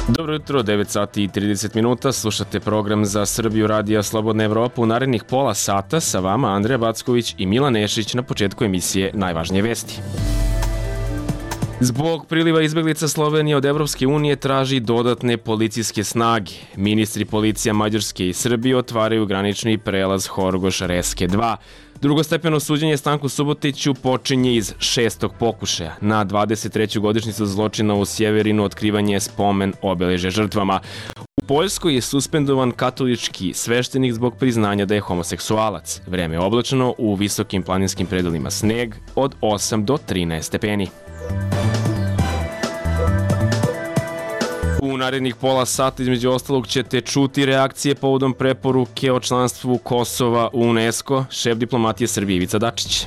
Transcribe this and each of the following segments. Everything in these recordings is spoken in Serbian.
Dobro jutro, 9 sati i 30 minuta, slušate program za Srbiju Radija Slobodna Evropa. U narednih pola sata sa vama Andreja Backović i Milan Nešić na početku emisije Najvažnije vesti. Zbog priliva izbeglica Slovenija od Evropske unije traži dodatne policijske snage. Ministri policija Mađarske i Srbije otvaraju granični prelaz Horgoš-Reske 2. Drugostepeno suđenje Stanku Subotiću počinje iz 6. pokušaja. Na 23. godišnjicu zločina u Sjeverinu otkrivanje spomen obeležja žrtvama. U Poljskoj je suspendovan katolički sveštenik zbog priznanja da je homoseksualac. Vreme je oblačno, u visokim planinskim predelima sneg od 8 do 13 stepeni. U narednih pola sata između ostalog ćete čuti reakcije povodom preporuke o članstvu Kosova u UNESCO, šef diplomatije Srbije Ivica Dačić.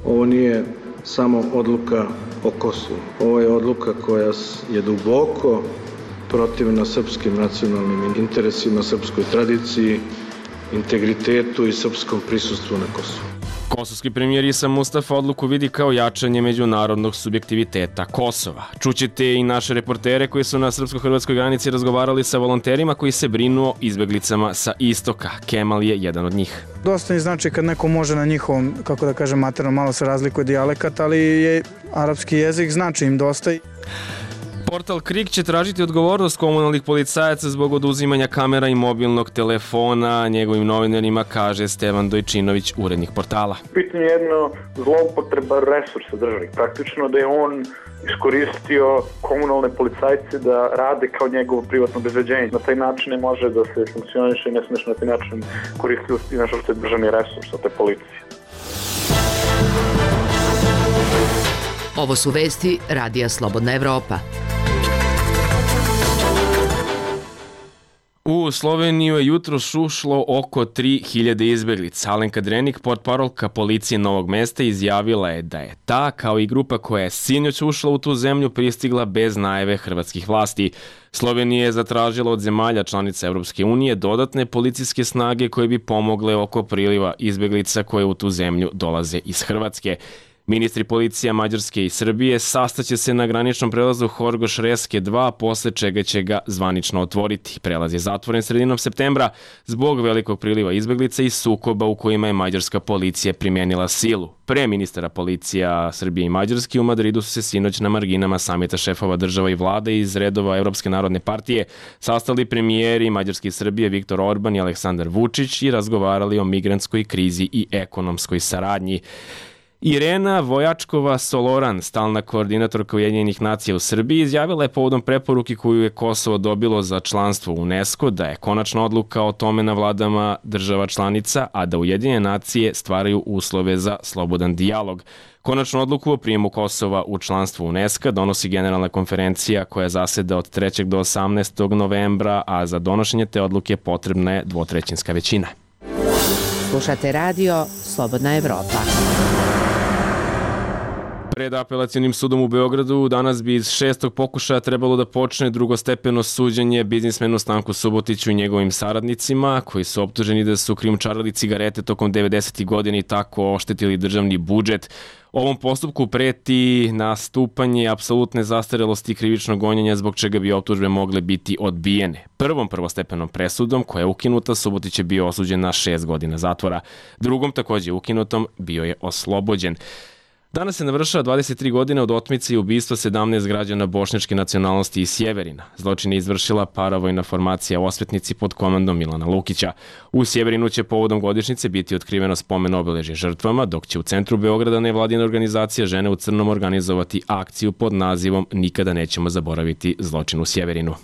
Ovo nije samo odluka o Kosovu. Ovo je odluka koja je duboko protivna srpskim nacionalnim interesima, srpskoj tradiciji, integritetu i srpskom prisustvu na Kosovu. Kosovski premijer Isa Mustafa odluku vidi kao jačanje međunarodnog subjektiviteta Kosova. Čućete i naše reportere koji su na srpsko-hrvatskoj granici razgovarali sa volonterima koji se brinu o izbeglicama sa istoka. Kemal je jedan od njih. Dosta mi znači kad neko može na njihovom, kako da kažem, materno, malo se razlikuje dijalekat, ali je arapski jezik znači im dosta. Portal KRIK će tražiti odgovornost komunalnih policajaca zbog oduzimanja kamera i mobilnog telefona. Njegovim novinarima kaže Stevan Dojčinović, urednik portala. Pitanje je jedno zloupotreba resursa državnih. Praktično da je on iskoristio komunalne policajce da rade kao njegovo privatno obezbeđenje. Na taj način ne može da se funkcioniše i ne smiješ na taj način koristiti nešto što je državni resurs, a to je policija. Ovo su vesti Radija Slobodna Evropa. U Sloveniju je jutros ušlo oko 3000 izbeglica. Alenka Drenik, portparolka policije Novog Mesta, izjavila je da je ta, kao i grupa koja je sinoć ušla u tu zemlju, pristigla bez najave hrvatskih vlasti. Slovenija je zatražila od zemalja članica Evropske unije dodatne policijske snage koje bi pomogle oko priliva izbeglica koje u tu zemlju dolaze iz Hrvatske. Ministri policija Mađarske i Srbije sastaće se na graničnom prelazu Horgoš-Reske 2, posle čega će ga zvanično otvoriti. Prelaz je zatvoren sredinom septembra zbog velikog priliva izbeglica i sukoba u kojima je mađarska policija primijenila silu. Pre ministara policija Srbije i Mađarske u Madridu su se sinoć na marginama samita šefova država i vlade iz redova Evropske narodne partije sastali premijeri Mađarske i Srbije Viktor Orban i Aleksandar Vučić i razgovarali o migrantskoj krizi i ekonomskoj saradnji. Irena Vojačkova-Soloran, stalna koordinatorka Ujedinjenih nacija u Srbiji, izjavila je povodom preporuke koju je Kosovo dobilo za članstvo u UNESCO da je konačna odluka o tome na vladama država članica, a da Ujedinjene nacije stvaraju uslove za slobodan dijalog. Konačnu odluku o prijemu Kosova u članstvo UNESCO donosi Generalna konferencija koja zaseda od 3. do 18. novembra, a za donošenje te odluke potrebna je dvotrećinska većina. Slušate radio Slobodna Evropa. Pred apelacionim sudom u Beogradu danas bi iz 6. pokušaja trebalo da počne drugostepeno suđenje biznismenu Stanku Subotiću i njegovim saradnicima, koji su optuženi da su krijumčarili cigarete tokom 90. godina i tako oštetili državni budžet. Ovom postupku preti nastupanje apsolutne zastarelosti krivičnog gonjenja, zbog čega bi optužbe mogle biti odbijene. Prvom prvostepenom presudom, koja je ukinuta, Subotić je bio osuđen na 6 godina zatvora. Drugom, takođe ukinutom, bio je oslobođen. Danas se navršava 23 godine od otmice i ubistva 17 građana bošnjačke nacionalnosti iz Sjeverina. Zločin je izvršila paravojna formacija Osvetnici pod komandom Milana Lukića. U Sjeverinu će povodom godišnjice biti otkriveno spomen obeležje žrtvama, dok će u centru Beograda nevladina organizacija Žene u crnom organizovati akciju pod nazivom Nikada nećemo zaboraviti zločin u Sjeverinu.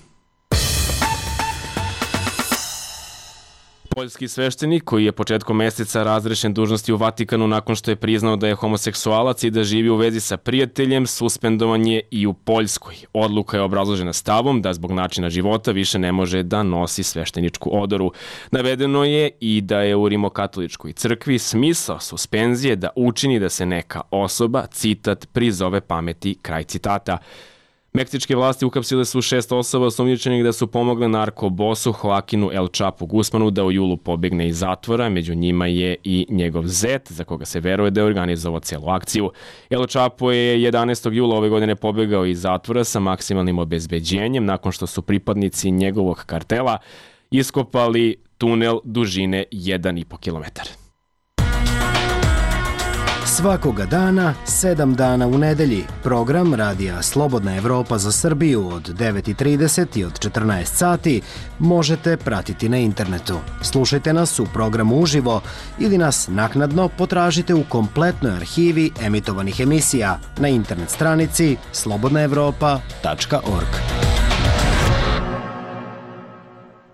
Poljski sveštenik, koji je početkom meseca razrešen dužnosti u Vatikanu nakon što je priznao da je homoseksualac i da živi u vezi sa prijateljem, suspendovan je i u Poljskoj. Odluka je obrazložena stavom da zbog načina života više ne može da nosi svešteničku odoru. Navedeno je i da je u Rimokatoličkoj crkvi smisao suspenzije da učini da se neka osoba, citat, prizove pameti, kraj citata. Meksičke vlasti uhapsile su 6 osoba osumnjičenih da su pomogle narkobosu Joaquinu El Chapu Guzmanu da u julu pobegne iz zatvora. Među njima je i njegov zet, za koga se veruje da je organizovao celu akciju. El Chapo je 11. jula ove godine pobegao iz zatvora sa maksimalnim obezbeđenjem nakon što su pripadnici njegovog kartela iskopali tunel dužine 1,5 kilometar. Svakoga dana, 7 dana u nedelji, program Radija Slobodna Evropa za Srbiju od 9:30 i od 14 sati možete pratiti na internetu. Slušajte nas u programu uživo ili nas naknadno potražite u kompletnoj arhivi emitovanih emisija na internet stranici slobodnaevropa.org.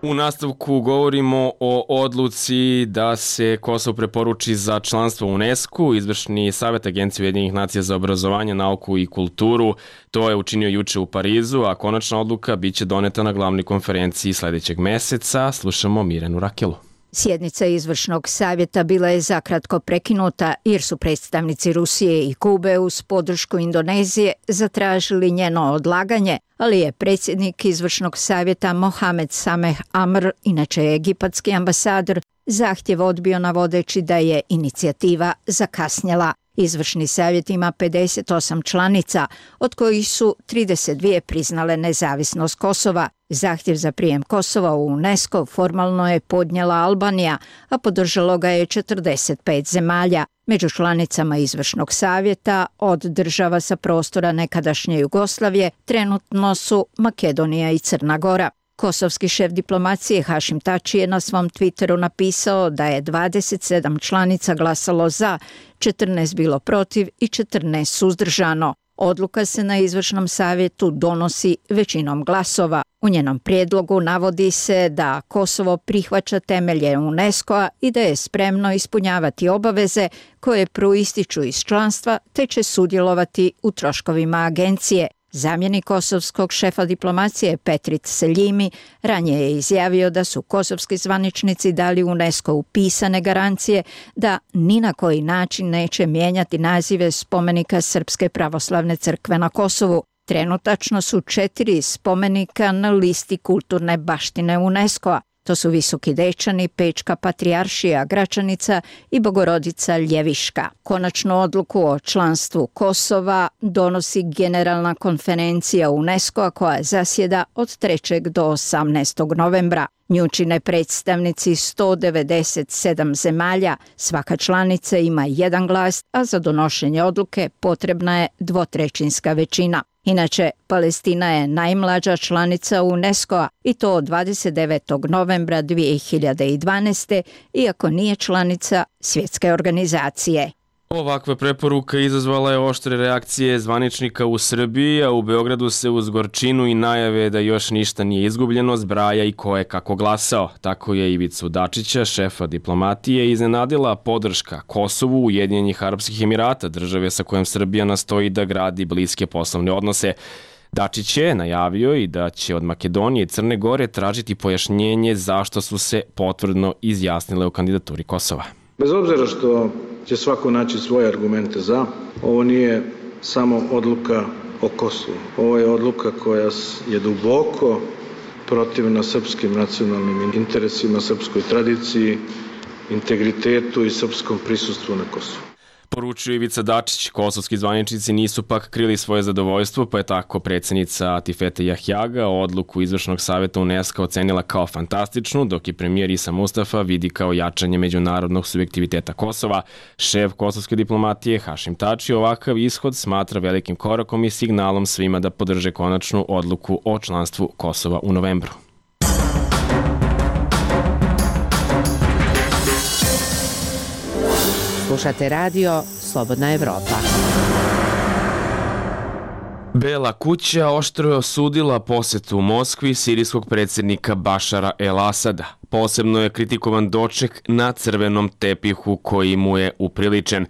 U nastavku govorimo o odluci da se Kosovo preporuči za članstvo u UNESCO. Izvršni savjet Agencije Ujedinjenih nacija za obrazovanje, nauku i kulturu to je učinio juče u Parizu, a konačna odluka biće doneta na glavnoj konferenciji sledećeg meseca. Slušamo Mirjanu Rakelu. Sjednica izvršnog savjeta bila je zakratko prekinuta jer su predstavnici Rusije i Kube uz podršku Indonezije zatražili njeno odlaganje, ali je predsjednik izvršnog savjeta Mohamed Sameh Amr, inače egipatski ambasador, zahtjev odbio navodeći da je inicijativa zakasnjela. Izvršni savjet ima 58 članica, od kojih su 32 priznale nezavisnost Kosova. Zahtjev za prijem Kosova u UNESCO formalno je podnijela Albanija, a podržalo ga je 45 zemalja. Među članicama izvršnog savjeta od država sa prostora nekadašnje Jugoslavije trenutno su Makedonija i Crna Gora. Kosovski šef diplomacije Hašim Tači je na svom Twitteru napisao da je 27 članica glasalo za, 14 bilo protiv i 14 suzdržano. Odluka se na izvršnom savjetu donosi većinom glasova. U njenom prijedlogu navodi se da Kosovo prihvaća temelje UNESCO-a i da je spremno ispunjavati obaveze koje proističu iz članstva te će sudjelovati u troškovima agencije. Zamjenik kosovskog šefa diplomacije Petrit Seljimi ranije je izjavio da su kosovski zvaničnici dali UNESCO pisane garancije da ni na koji način neće mijenjati nazive spomenika Srpske pravoslavne crkve na Kosovu. Trenutačno su 4 spomenika na listi kulturne baštine UNESCO-a. To su Visoki Dečani, Pečka patrijaršija Gračanica i Bogorodica Ljeviška. Konačnu odluku o članstvu Kosova donosi Generalna konferencija UNESCO-a koja zasjeda od 3. do 18. novembra. Nju čine predstavnici 197 zemalja, svaka članica ima jedan glas, a za donošenje odluke potrebna je dvotrećinska većina. Inače, Palestina je najmlađa članica UNESCO-a i to od 29. novembra 2012. iako nije članica svjetske organizacije. Ovakva preporuka izazvala je oštre reakcije zvaničnika u Srbiji, a u Beogradu se uz gorčinu i najave da još ništa nije izgubljeno zbraja i ko je kako glasao. Tako je Ivicu Dačića, šefa diplomatije, iznenadila podrška Kosovu Ujedinjenih Arapskih Emirata, države sa kojom Srbija nastoji da gradi bliske poslovne odnose. Dačić je najavio i da će od Makedonije i Crne Gore tražiti pojašnjenje zašto su se potvrdno izjasnile o kandidaturi Kosova. Bez obzira što će svako naći svoje argumente za, ovo nije samo odluka o Kosovu. Ovo je odluka koja je duboko protivna srpskim nacionalnim interesima, srpskoj tradiciji, integritetu i srpskom prisustvu na Kosovu. Poručio Ivica Dačić, kosovski zvaničnici nisu pak krili svoje zadovoljstvo, pa je tako predsjednica Atifete Jahjaga odluku izvršnog savjeta UNESCO ocenila kao fantastičnu, dok je premijer Isa Mustafa vidi kao jačanje međunarodnog subjektiviteta Kosova. Šef kosovske diplomatije Hašim Tači ovakav ishod smatra velikim korakom i signalom svima da podrže konačnu odluku o članstvu Kosova u novembru. Slušate radio Slobodna Evropa. Bela kuća oštro je osudila posetu u Moskvi sirijskog predsjednika Bašara el-Asada. Posebno je kritikovan doček na crvenom tepihu koji mu je upriličen.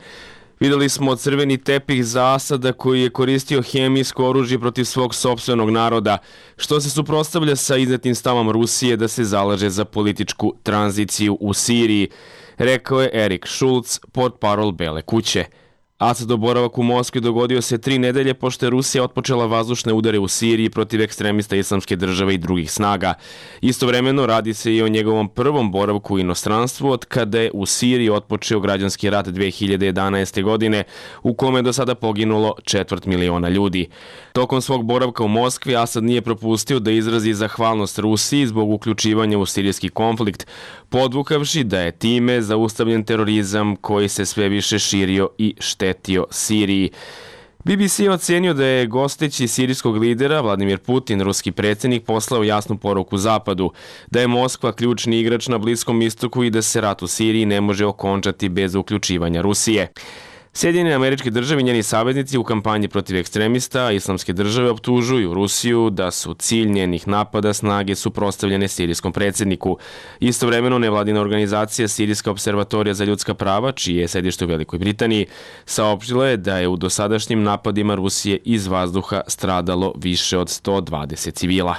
Videli smo crveni tepih za Asada koji je koristio hemijsko oružje protiv svog sopstvenog naroda, što se suprotstavlja sa iznetim stavom Rusije da se zalaže za političku tranziciju u Siriji, rekao je Erik Šulc, portparol Bele kuće. Asadov boravak u Moskvi dogodio se 3 nedelje pošto je Rusija otpočela vazdušne udare u Siriji protiv ekstremista Islamske države i drugih snaga. Istovremeno radi se i o njegovom prvom boravku u inostranstvu od kada je u Siriji otpočeo građanski rat 2011. godine u kome je do sada poginulo 250.000 ljudi. Tokom svog boravka u Moskvi Asad nije propustio da izrazi zahvalnost Rusiji zbog uključivanja u sirijski konflikt, podvukavši da je time zaustavljen terorizam koji se sve više širio i štetio Siriji. BBC je ocenio da je gosteći sirijskog lidera Vladimir Putin, ruski predsjednik, poslao jasnu poruku Zapadu, da je Moskva ključni igrač na Bliskom istoku i da se rat u Siriji ne može okončati bez uključivanja Rusije. Sjedinjene Američke Države i njeni saveznici u kampanji protiv ekstremista Islamske države optužuju Rusiju da su cilj njenih napada snage suprotstavljene sirijskom predsjedniku. Istovremeno nevladina organizacija Sirijska observatorija za ljudska prava, čije je sedište u Velikoj Britaniji, saopštila je da je u dosadašnjim napadima Rusije iz vazduha stradalo više od 120 civila.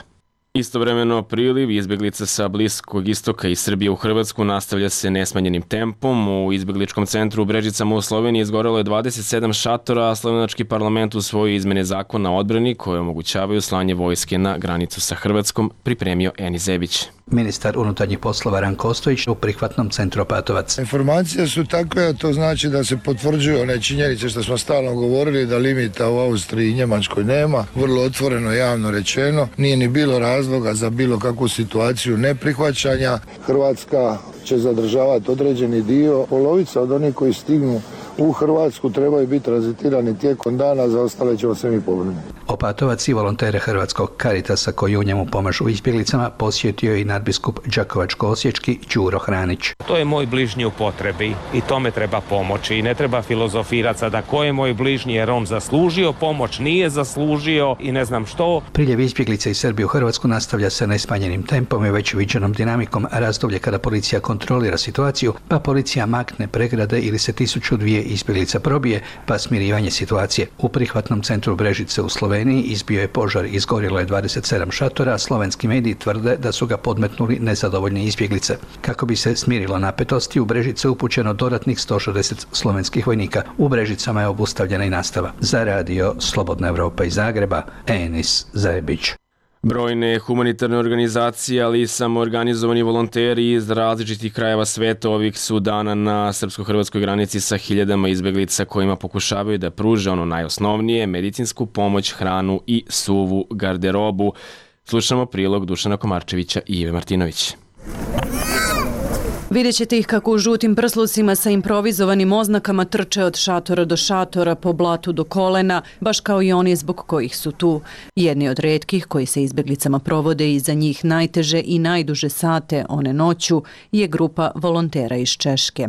Istovremeno priliv izbjeglica sa Bliskog istoka i Srbije u Hrvatsku nastavlja se nesmanjenim tempom. U izbjegličkom centru u Brežicama u Sloveniji izgorelo je 27 šatora, a slovenački parlament usvojio izmene zakona o odbrani koje omogućavaju slanje vojske na granicu sa Hrvatskom, pripremio Eni Zebić. Ministar unutarnjih poslova Ranko Ostojić u prihvatnom centru Opatovac. Informacije su takve, a to znači da se potvrđuju one činjenice što smo stalno govorili, da limita u Austriji i Njemačkoj nema, vrlo otvoreno javno rečeno, nije ni bilo razloga za bilo kakvu situaciju neprihvaćanja. Hrvatska će zadržavati određeni dio, polovica od onih koji stignu u Hrvatsku trebaju biti tranzitirani tijekom dana, za ostale ćemo se mi pobrinuti. Opatovac i volontere Hrvatskog Caritasa koji u njemu pomažu izbjeglicama posjetio i nadbiskup Đakovačko-osječki Đuro Hranić. To je moj bližnji u potrebi i tome treba pomoći i ne treba filozofirati sada ko je moj bližnji jer on zaslužio pomoć, nije zaslužio i ne znam što. Priljev izbjeglica iz Srbije u Hrvatsku nastavlja se nesmanjenim tempom i već viđenom dinamikom, razdoblje kada policija kontrolira situaciju, pa policija makne pregrade ili se 1002 izbjeglica probije, pa smirivanje situacije. U prihvatnom centru Brežice u Sloveniji izbio je požar, izgorilo je 27 šatora, a slovenski mediji tvrde da su ga podmetnuli nezadovoljne izbjeglice. Kako bi se smirilo napetosti, u Brežice upućeno dodatnih 160 slovenskih vojnika. U Brežicama je obustavljena i nastava. Za radio Slobodna Evropa iz Zagreba, Enis Zebić. Brojne humanitarne organizacije, ali i samoorganizovani volonteri iz različitih krajeva sveta ovih su dana na srpsko-hrvatskoj granici sa hiljadama izbeglica kojima pokušavaju da pruže ono najosnovnije, medicinsku pomoć, hranu i suvu garderobu. Slušamo prilog Dušana Komarčevića i Ive Martinović. Vidjet ćete ih kako u žutim prslucima sa improvizovanim oznakama trče od šatora do šatora, po blatu do kolena, baš kao i oni zbog kojih su tu. Jedni od retkih koji se izbjeglicama provode i za njih najteže i najduže sate, one noću, je grupa volontera iz Češke.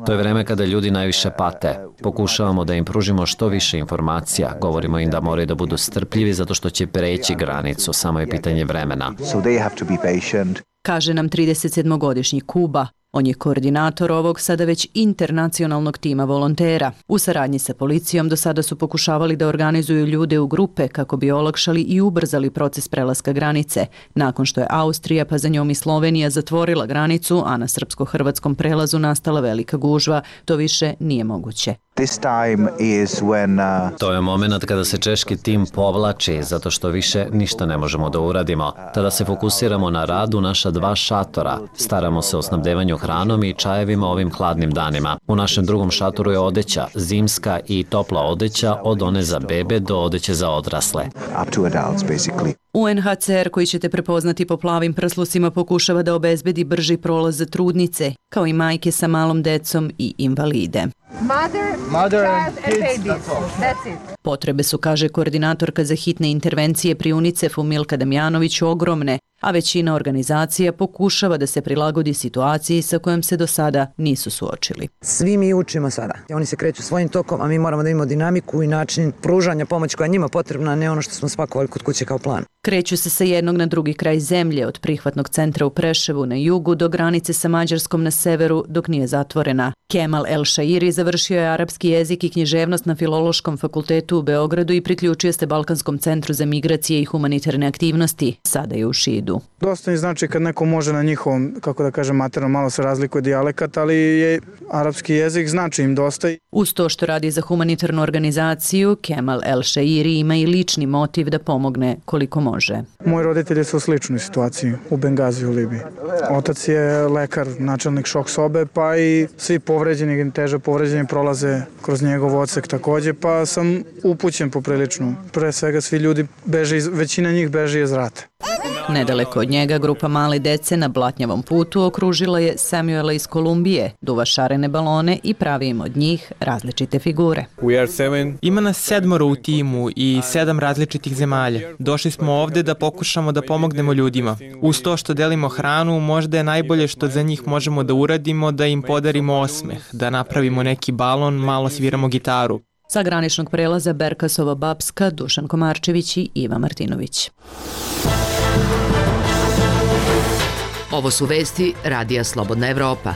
To je vreme kada ljudi najviše pate. Pokušavamo da im pružimo što više informacija. Govorimo im da moraju da budu strpljivi zato što će preći granicu, samo je pitanje vremena. Kaže nam 37-godišnji Kuba. On je koordinator ovog sada već internacionalnog tima volontera. U saradnji sa policijom do sada su pokušavali da organizuju ljude u grupe kako bi olakšali i ubrzali proces prelaska granice. Nakon što je Austrija, pa za njom i Slovenija zatvorila granicu, a na srpsko-hrvatskom prelazu nastala velika gužva, to više nije moguće. To je moment kada se češki tim povlači, zato što više ništa ne možemo da uradimo. Tada se fokusiramo na rad u naša 2 šatora. Staramo se o snabdevanju hranom i čajevima ovim hladnim danima. U našem drugom šatoru je odeća, zimska i topla odeća, od one za bebe do odeće za odrasle. UNHCR, koji ćete prepoznati po plavim prslucima, pokušava da obezbedi brži prolaz za trudnice, kao i majke sa malom decom i invalide. Mother and kids, that's it. Potrebe su, kaže koordinatorka za hitne intervencije pri UNICEF-u Milka Damjanović, ogromne, a većina organizacija pokušava da se prilagodi situaciji sa kojom se do sada nisu suočili. Svi mi učimo sada. Oni se kreću svojim tokom, a mi moramo da imamo dinamiku i način pružanja pomoći koja je njima potrebna, a ne ono što smo spakovali kod kuće kao plan. Kreću se sa jednog na drugi kraj zemlje, od prihvatnog centra u Preševu na jugu do granice sa Mađarskom na severu, dok nije zatvorena. Kemal El Shairi završio je arapski jezik i književnost na Filološkom fakultetu u Beogradu i priključio se Balkanskom centru za migracije i humanitarne aktivnosti. Sada je u Šidu. Dosta mi znači kad neko može na njihovom, kako da kažem, materno, malo se razlikuje dijalekat, ali je arapski jezik znači im dosta. Uz to što radi za humanitarnu organizaciju, Kemal El Shairi ima i lični motiv da pomogne koliko može. Moji roditelji su u sličnoj situaciji u Bengaziju u Libiji. Otac je lekar, načelnik šok sobe, pa i svi povređeni, teže povređeni prolaze kroz njegov odsek takođe, pa sam upućen poprilično. Pre svega svi ljudi beže, većina njih beže iz rata. Nedaleko od njega grupa male dece na blatnjavom putu okružila je Samuela iz Kolumbije, duva šarene balone i pravi im od njih različite figure. Ima nas 7 u timu i 7 različitih zemalja. Došli smo ovde da pokušamo da pomognemo ljudima. Uz to što delimo hranu, možda je najbolje što za njih možemo da uradimo da im podarimo osmeh, da napravimo neki balon, malo sviramo gitaru. Sa graničnog prelaza Berkasova Bapska, Dušan Komarčević i Iva Martinović. Ovo su vesti Radija Slobodna Evropa.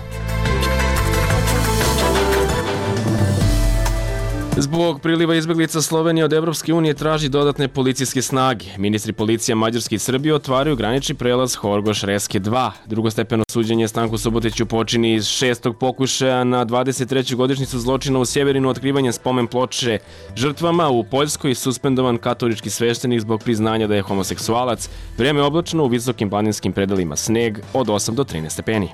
Zbog priliva izbeglica Slovenija od Evropske unije traži dodatne policijske snage. Ministri policije Mađarske i Srbije otvaraju granični prelaz Horgoš Reske 2. Drugostepeno suđenje Stanku Subotiću počini iz 6. pokušaja na 23. godišnjicu zločina u Sjeverinu otkrivanjem spomen ploče žrtvama. U Poljskoj suspendovan katolički sveštenik zbog priznanja da je homoseksualac. Vreme je oblačno, u visokim planinskim predelima sneg od 8 do 13 stepeni.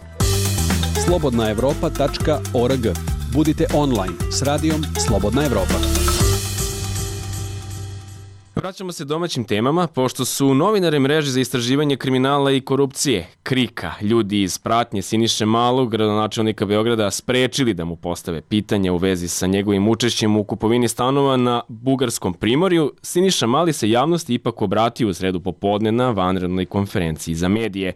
slobodnaevropa.org. Budite online s radijom Slobodna Evropa. Vraćamo se domaćim temama, pošto su novinari mreže za istraživanje kriminala i korupcije, KRIK-a, ljudi iz pratnje Siniše Malog, gradonačelnika Beograda, sprečili da mu postave pitanja u vezi sa njegovim učešćem u kupovini stanova na Bugarskom primorju, Siniša Mali se javnosti ipak obratio u sredu popodne na vanrednoj konferenciji za medije.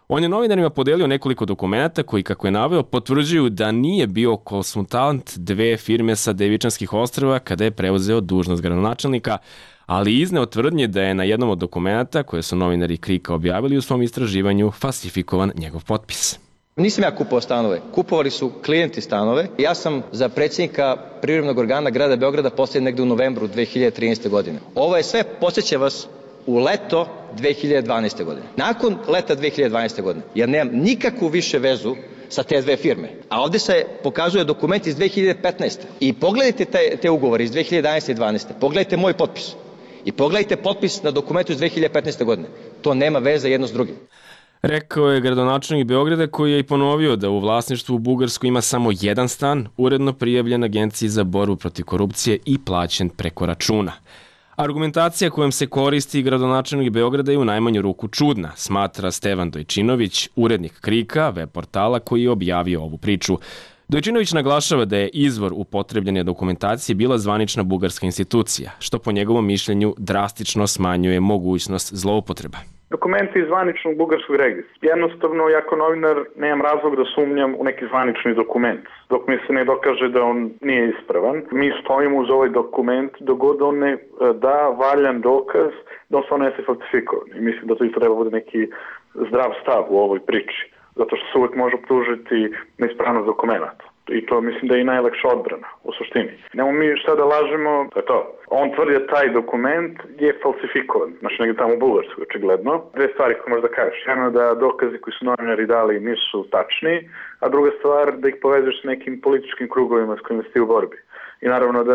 On je novinarima podelio nekoliko dokumenata koji, kako je naveo, potvrđuju da nije bio konsultant dve firme sa Devičanskih ostrva kada je preuzeo dužnost gradonačelnika, ali izneo tvrdnje da je na jednom od dokumenata koje su novinari KRIK-a objavili u svom istraživanju falsifikovan njegov potpis. Nisam ja kupovao stanove, kupovali su klijenti stanove. Ja sam za predsjednika privremenog organa grada Beograda postavljen negde u novembru 2013. godine. Ovo je sve, podsjeća vas, u leto 2012. godine. Nakon leta 2012. godine, ja nemam nikakvu više vezu sa te dve firme. A ovde se pokazuje dokument iz 2015. I pogledajte te ugovore iz 2011. i 2012. Pogledajte moj potpis. I pogledajte potpis na dokumentu iz 2015. godine. To nema veze jedno s drugim. Rekao je gradonačelnik Beograda, koji je i ponovio da u vlasništvu u Bugarskoj ima samo jedan stan, uredno prijavljen Agenciji za borbu protiv korupcije i plaćen preko računa. Argumentacija kojom se koristi gradonačelnik Beograda je u najmanju ruku čudna, smatra Stevan Dojčinović, urednik KRIK-a, web portala koji je objavio ovu priču. Dojčinović naglašava da je izvor upotrebljene dokumentacije bila zvanična bugarska institucija, što po njegovom mišljenju drastično smanjuje mogućnost zloupotreba. Dokumenti iz zvaničnog bugarskog registra. Jednostavno, ja kao novinar nemam razlog da sumnjam u neki zvanični dokument. Dok mi se ne dokaže da on nije ispravan, mi stojimo uz ovaj dokument dok god on ne da valjan dokaz da on stvarno jeste falsifikovan. I mislim da to treba bude neki zdrav stav u ovoj priči. Zato što se uvijek može optužiti neispravnost dokumenta. I to mislim da je i najlakša odbrana u suštini. Nemo mi šta da lažemo, to je to. On tvrdi da taj dokument je falsifikovan, znači negdje tamo u Bugarskoj, očigledno. Dve stvari koje možda kažeš. Jedno da dokazi koji su novinari dali nisu tačni, a druga stvar da ih povezuješ s nekim političkim krugovima s kojima si u borbi. I naravno da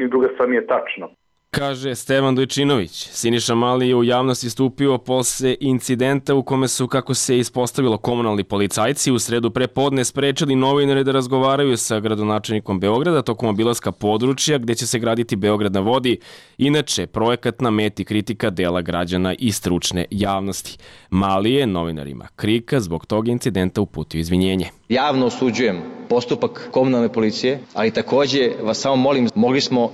ni druga stvar nije tačna. Kaže Stevan Dojčinović. Siniša Mali je u javnosti stupio posle incidenta u kome su, kako se ispostavilo, komunalni policajci u sredu prepodne sprečili novinare da razgovaraju sa gradonačelnikom Beograda tokom obilaska područja gde će se graditi Beograd na vodi, inače projekat na meti kritika dela građana i stručne javnosti. Mali je novinarima KRIK-a zbog tog incidenta uputio izvinjenje. Javno osuđujem postupak komunalne policije, ali takođe vas samo molim,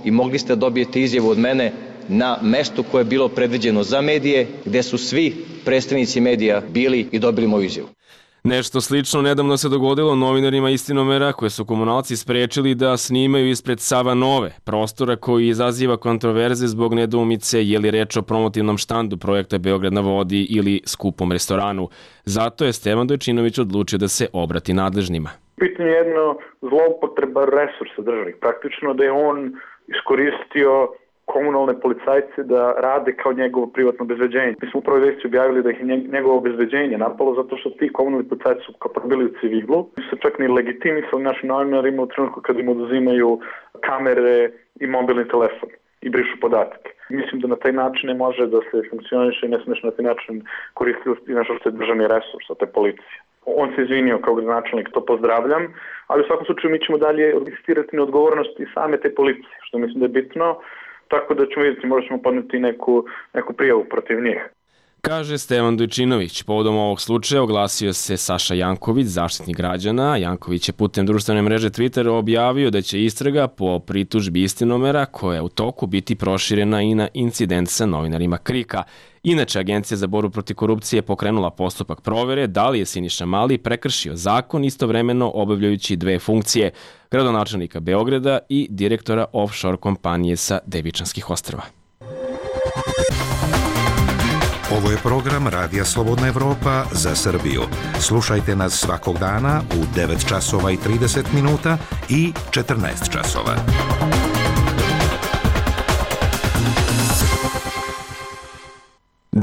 mogli ste dobijete izjavu od mene na mestu koje je bilo predviđeno za medije, gde su svi predstavnici medija bili i dobili moju izjavu. Nešto slično nedavno se dogodilo novinarima Istinomera koje su komunalci sprečili da snimaju ispred Sava Nove, prostora koji izaziva kontroverze zbog nedoumice je li reč o promotivnom štandu projekta Beograd na vodi ili skupom restoranu. Zato je Stevan Dojčinović odlučio da se obrati nadležnima. Pitanje je jedno zloupotreba resursa državnih. Praktično da je on iskoristio komunalne policajce da rade kao njegovo privatno obezbeđenje. Mi smo upravo vesti objavili da ih njegovo obezbeđenje napalo zato što ti komunalni policajci su kao bili u civilu. Mi su čak ni legitimisali našim novinarima u trenutku kad im oduzimaju kamere i mobilni telefon i brišu podatke. Mislim da na taj način ne može da se funkcioniše i ne smeš na taj način koristiti nešto što je državni resurs, a to je policija. On se izvinio kao gradonačelnik, to pozdravljam, ali u svakom slučaju mi ćemo dalje insistirati na odgovornosti same te policije, što mislim da je bitno. Tako da ćemo vidjeti, možda ćemo podneti neku prijavu protiv njih. Kaže Stevan Dojčinović. Povodom ovog slučaja oglasio se Saša Janković, zaštitnik građana. Janković je putem društvene mreže Twitter objavio da će istraga po pritužbi Istinomera, koja je u toku, biti proširena i na incident sa novinarima KRIK-a. Inače, Agencija za borbu protiv korupcije je pokrenula postupak provere da li je Siniša Mali prekršio zakon istovremeno obavljajući dve funkcije, gradonačelnika Beograda i direktora offshore kompanije sa Devičanskih ostrva. Ovo je program Radija Slobodna Evropa za Srbiju. Slušajte nas svakog dana u 9 časova i 30 minuta i 14 časova.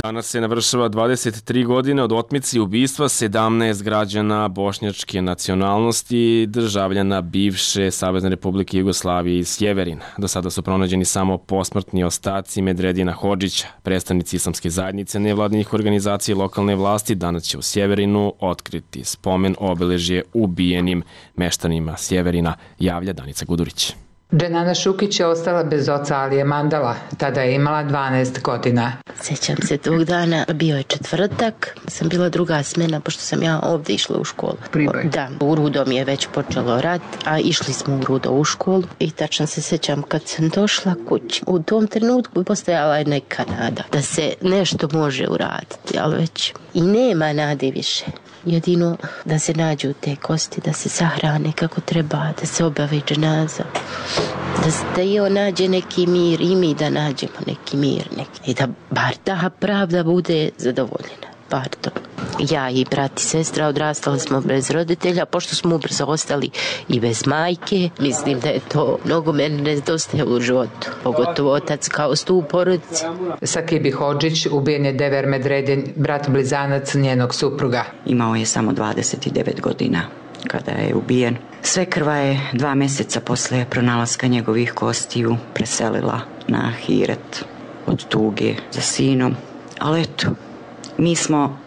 Danas se navršava 23 godine od otmice i ubistva 17 građana bošnjačke nacionalnosti, državljana bivše Savezne Republike Jugoslavije iz Sjeverina. Do sada su pronađeni samo posmrtni ostaci Medredina Hodžića. Predstavnici islamske zajednice nevladinih organizacija i lokalne vlasti danas će u Sjeverinu otkriti spomen obeležje ubijenim meštanima Sjeverina, javlja Danica Gudurić. Dženana Šukić je ostala bez oca Alije Mandala, tada je imala 12 godina. Sjećam se tog dana, bio je četvrtak, sam bila druga smena, pošto sam ja ovdje išla u školu. Priboj? Da, u Rudo mi je već počelo rat, a išli smo u Rudo u školu i tačno se sjećam kad sam došla kući. U tom trenutku postojala je neka nada da se nešto može uraditi, ali već i nema nade više. Jedino da se nađu te kosti, da se sahrane kako treba, da se obavi dženaza, da i on nađe neki mir i mi da nađemo neki mir i da bar ta pravda bude zadovoljena. Bar to. Ja i brat i sestra odrastali smo bez roditelja, pošto smo ubrzo ostali i bez majke. Mislim da je to mnogo meni nedostaje u životu, pogotovo otac kao stup porodice. Sakibi Hodžić ubijen je Dever Medredin, brat blizanac njenog supruga. Imao je samo 29 godina kada je ubijen. Svekrva je 2 mjeseca posle pronalaska njegovih kostiju preselila na Ahiret od tuge za sinom. Ali eto, mi smo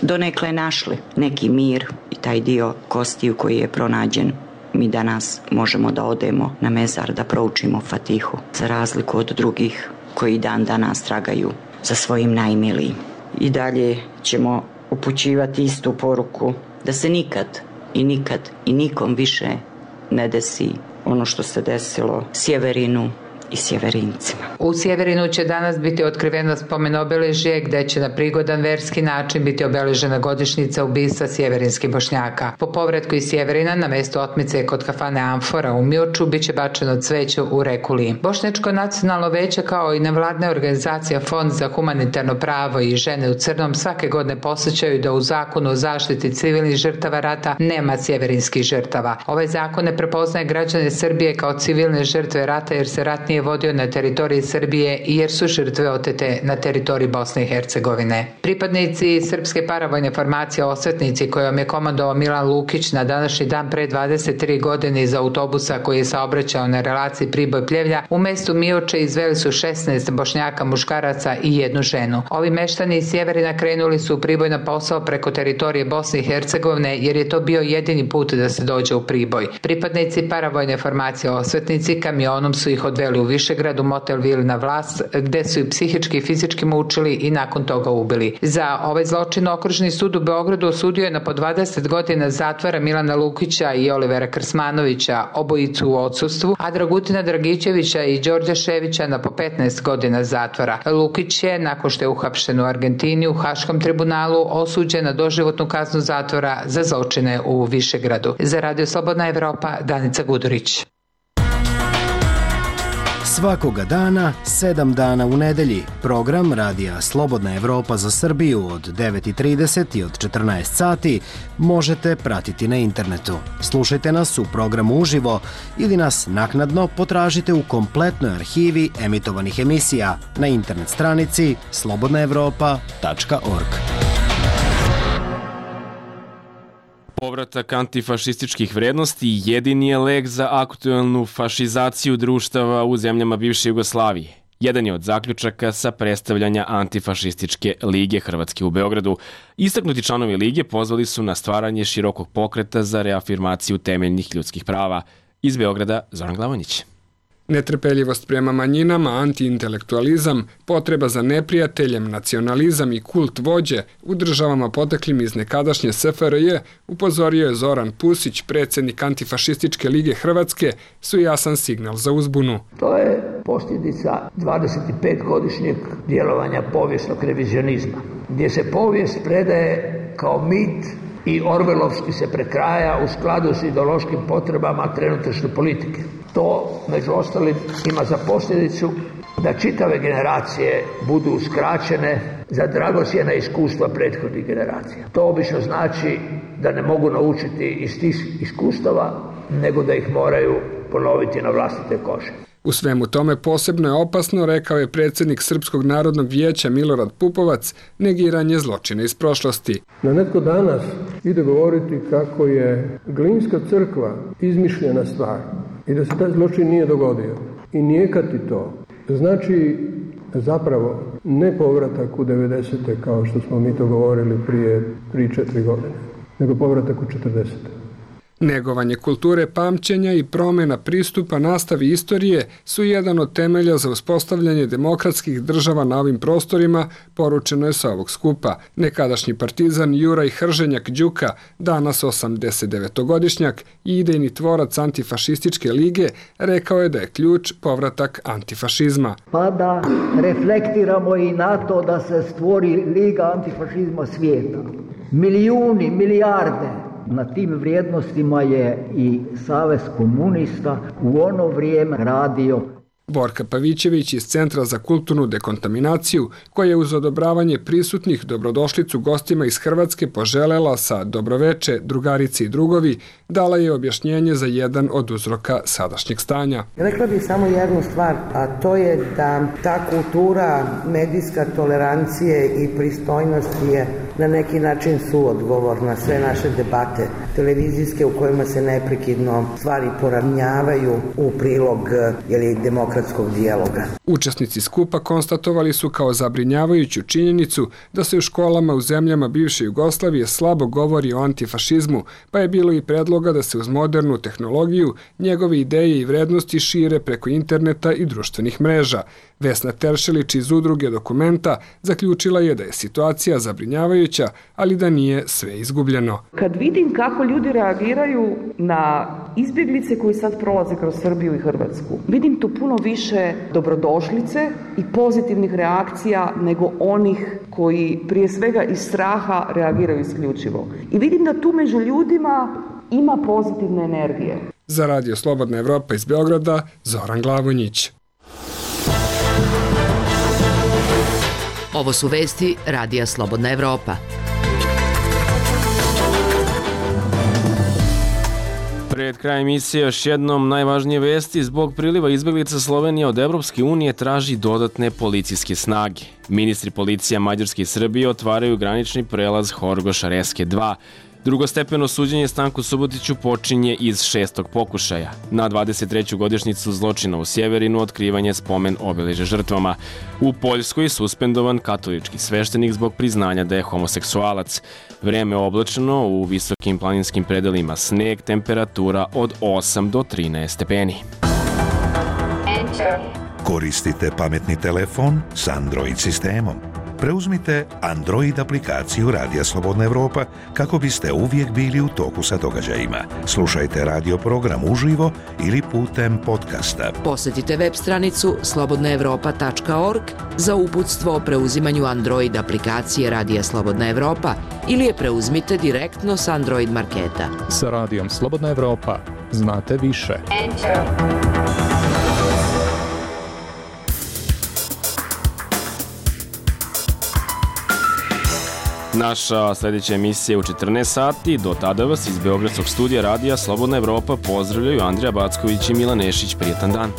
donekle našli neki mir i taj dio kostiju koji je pronađen. Mi danas možemo da odemo na mezar da proučimo Fatihu, za razliku od drugih koji dan danas tragaju za svojim najmilijim. I dalje ćemo upućivati istu poruku da se nikad i nikom više ne desi ono što se desilo Sjeverinu i Sjeverincima. U Sjeverinu će danas biti otkriveno spomen obeležje gde će na prigodan verski način biti obeležena godišnjica ubistva sjeverinskih Bošnjaka. Po povratku iz Sjeverina na mesto otmice kod kafane Amfora u Mioču biće bačeno cveće u reku Lim. Bošnjačko nacionalno veće kao i nevladna organizacija Fond za humanitarno pravo i žene u crnom svake godine posjećaju da u zakonu o zaštiti civilnih žrtava rata nema sjeverinskih žrtava. Ovaj zakon ne prepoznaje građane Srbije kao civilne žrtve rata jer se rat nije vodio na teritoriji Srbije i jer su žrtve otete na teritoriji Bosne i Hercegovine. Pripadnici Srpske paravojne formacije Osvetnici kojom je komandovao Milan Lukić na današnji dan pre 23 godine iz autobusa koji je saobraćao na relaciji Priboj-Pljevlja u mestu Mioče izveli su 16 Bošnjaka, muškaraca i 1 ženu. Ovi meštani iz Sjeverina krenuli su u Priboj na posao preko teritorije Bosne i Hercegovine jer je to bio jedini put da se dođe u Priboj. Pripadnici paravojne formacije Osvetnici kamionom su ih odveli u Višegradu, motel Vil na Vlas, gde su i psihički i fizički mučili i nakon toga ubili. Za ovaj zločin Okružni sud u Beogradu osudio je na po 20 godina zatvora Milana Lukića i Olivera Krsmanovića, obojicu u odsustvu, a Dragutina Dragićevića i Đorđa Ševića na po 15 godina zatvora. Lukić je, nakon što je uhapšen u Argentini, u Haškom tribunalu osuđen na doživotnu kaznu zatvora za zločine u Višegradu. Za Radio Slobodna Evropa, Danica Gudurić. Svakoga dana, 7 dana u nedelji, program Radija Slobodna Evropa za Srbiju od 9:30 i od 14 sati možete pratiti na internetu. Slušajte nas u programu uživo ili nas naknadno potražite u kompletnoj arhivi emitovanih emisija na internet stranici slobodnaevropa.org. Povratak antifašističkih vrednosti jedini je lek za aktuelnu fašizaciju društava u zemljama bivše Jugoslavije. Jedan je od zaključaka sa predstavljanja Antifašističke lige Hrvatske u Beogradu. Istaknuti članovi lige pozvali su na stvaranje širokog pokreta za reafirmaciju temeljnih ljudskih prava. Iz Beograda, Zoran Glavonjić. Netrpeljivost prema manjinama, antiintelektualizam, potreba za neprijateljem, nacionalizam i kult vođe u državama poteklim iz nekadašnje SFRJ, upozorio je Zoran Pusić, predsjednik Antifašističke lige Hrvatske, su jasan signal za uzbunu. To je posljedica 25-godišnjeg djelovanja povijesnog revizionizma, gdje se povijest predaje kao mit i orvelovski se prekraja u skladu s ideološkim potrebama trenutačne politike. To, među ostalim, ima za posljedicu da čitave generacije budu uskraćene za dragocjena iskustva prethodnih generacija. To obično znači da ne mogu naučiti iz tih iskustava, nego da ih moraju ponoviti na vlastite kože. U svemu tome posebno je opasno, rekao je predsjednik Srpskog narodnog vijeća Milorad Pupovac, negiranje zločina iz prošlosti. Na netko danas ide govoriti kako je Glinska crkva izmišljena stvar i da se taj zločin nije dogodio i nijekati to znači zapravo ne povratak u 90. kao što smo mi to govorili prije 3-4 godine, nego povratak u 40. Negovanje kulture pamćenja i promjena pristupa nastavi istorije su jedan od temelja za uspostavljanje demokratskih država na ovim prostorima, poručeno je sa ovog skupa. Nekadašnji partizan Juraj Hrženjak Đuka, danas 89-godišnjak i idejni tvorac Antifašističke lige, rekao je da je ključ povratak antifašizma. Pa da reflektiramo i na to da se stvori Liga antifašizma svijeta. Milijuni, milijarde. Na tim vrijednostima je i Savez komunista u ono vrijeme radio. Borka Pavićević iz Centra za kulturnu dekontaminaciju, koja je uz odobravanje prisutnih dobrodošlicu gostima iz Hrvatske poželela sa dobroveče, drugarice i drugovi, dala je objašnjenje za jedan od uzroka sadašnjeg stanja. Rekla bih samo jednu stvar, a to je da ta kultura medijska tolerancije i pristojnosti je na neki način suodgovor na sve naše debate televizijske u kojima se neprekidno stvari poravnjavaju u prilog demokratskog dijaloga. Učesnici skupa konstatovali su kao zabrinjavajuću činjenicu da se u školama u zemljama bivše Jugoslavije slabo govori o antifašizmu, pa je bilo i predloga da se uz modernu tehnologiju njegove ideje i vrednosti šire preko interneta i društvenih mreža. Vesna Teršelić iz udruge Dokumenta zaključila je da je situacija zabrinjavajuća, ali da nije sve izgubljeno. Kad vidim kako ljudi reagiraju na izbjeglice koji sad prolaze kroz Srbiju i Hrvatsku, vidim tu puno više dobrodošlice i pozitivnih reakcija nego onih koji prije svega iz straha reagiraju isključivo. I vidim da tu među ljudima ima pozitivne energije. Za Radio Slobodna Evropa iz Beograda, Zoran Glavonjić. Ovo su vesti Radija Slobodna Evropa. Pred krajem emisije još jednom najvažnije vesti. Zbog priliva izbjeglica Slovenija od Evropske unije traži dodatne policijske snage. Ministri policija Mađarske i Srbije otvaraju granični prelaz Horgoš-Reske 2. Drugostepeno suđenje Stanku Subotiću počinje iz 6. pokušaja. Na 23. godišnjicu zločina u Sjeverinu otkrivanje spomen obeležja žrtvama. U Poljskoj suspendovan katolički sveštenik zbog priznanja da je homoseksualac. Vreme oblačno, u visokim planinskim predelima sneg, temperatura od 8 do 13 stepeni. Enter. Koristite pametni telefon s Android sistemom? Preuzmite Android aplikaciju Radija Slobodna Evropa kako biste uvijek bili u toku sa događajima. Slušajte radio program uživo ili putem podcasta. Posjetite web stranicu slobodnaevropa.org za uputstvo o preuzimanju Android aplikacije Radija Slobodna Evropa ili je preuzmite direktno s Android marketa. Sa Radijom Slobodna Evropa znate više. Naša sljedeća emisija je u 14 sati. Do tada vas iz Beogradskog studija Radija Slobodna Evropa pozdravljaju Andrija Backović i Milan Nešić. Prijetan dan.